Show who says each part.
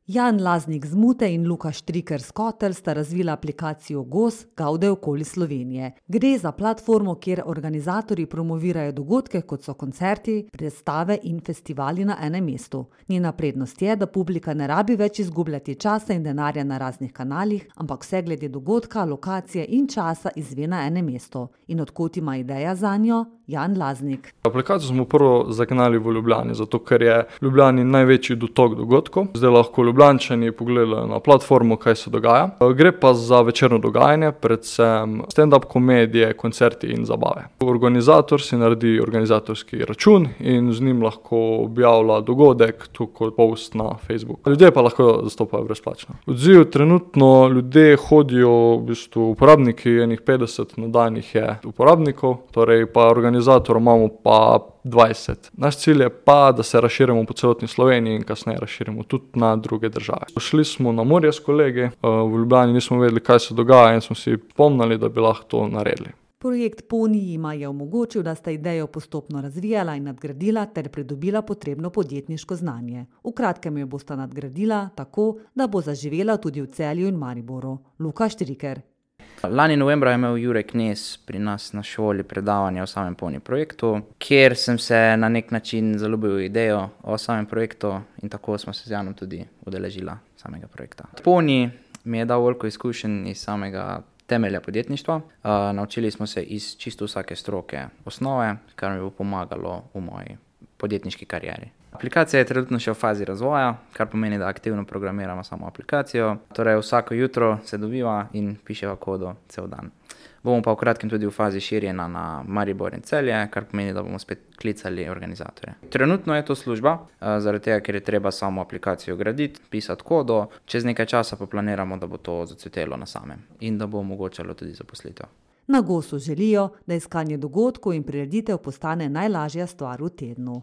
Speaker 1: Jan Laznik z Mute in Luka Štriker z Kotelj sta razvila aplikacijo GOS Gaude okoli Slovenije. Gre za platformo, kjer organizatorji promovirajo dogodke, kot so koncerti, predstave in festivali na enem mestu. Njena prednost je, da publika ne rabi več izgubljati časa in denarja na raznih kanalih, ampak vse glede dogodka, lokacije in časa izve na enem mestu. In od kod ima ideja zanjo? Jan Laznik.
Speaker 2: Aplikacijo smo prvo zagnali v Ljubljani, zato ker je v Ljubljani največji dotok dogodkov. Zdaj lahko Ljubljančani pogledajo na platformo, kaj se dogaja. Gre pa za večerno dogajanje, predvsem stand-up komedije, koncerti in zabave. Organizator si naredi organizatorski račun in z njim lahko objavlja dogodek, tu kot post na Facebook. Ljudje pa lahko zastopajo brezplačno. Odziv trenutno ljudje hodijo, v bistvu uporabniki, enih 50 na dan jih je uporabnikov, torej pa organizatorov imamo pa 20. Naš cilj je pa, da se razširimo po celotni Sloveniji in kasneje razširimo tudi na druge države. Šli smo na morje s kolegi, v Ljubljani nismo vedeli, kaj se dogaja in smo si pomnili, da bi lahko to naredili.
Speaker 1: Projekt Poni jima je omogočil, da sta idejo postopno razvijala in nadgradila ter pridobila potrebno podjetniško znanje. V kratkem jo bosta nadgradila tako, da bo zaživela tudi v Celju in Mariboru. Luka Štriker.
Speaker 3: Lani novembra je imel Jure Knez pri nas na šoli predavanje o samem Poni projektu, kjer sem se na nek način zaljubil v idejo o samem projektu in tako smo se z Janom tudi udeležila samega projekta. Poni mi je dal veliko izkušenj iz samega temelja podjetništva. Naučili smo se iz čisto vsake stroke osnove, kar mi bo pomagalo v moji podjetniški karieri. Aplikacija je trenutno še v fazi razvoja, kar pomeni, da aktivno programiramo samo aplikacijo. Torej vsako jutro se dobiva in piševa kodo cel dan. Bomo pa v kratkem tudi v fazi širjenja na Maribor in Celje, kar pomeni, da bomo spet klicali organizatorje. Trenutno je to služba, zaradi tega, ker je treba samo aplikacijo graditi, pisati kodo, čez nekaj časa pa planiramo, da bo to zacvetelo na samem in da bo omogočalo tudi zaposlitev.
Speaker 1: Na GOS-u želijo, da iskanje dogodkov in prireditev postane najlažja stvar v tednu.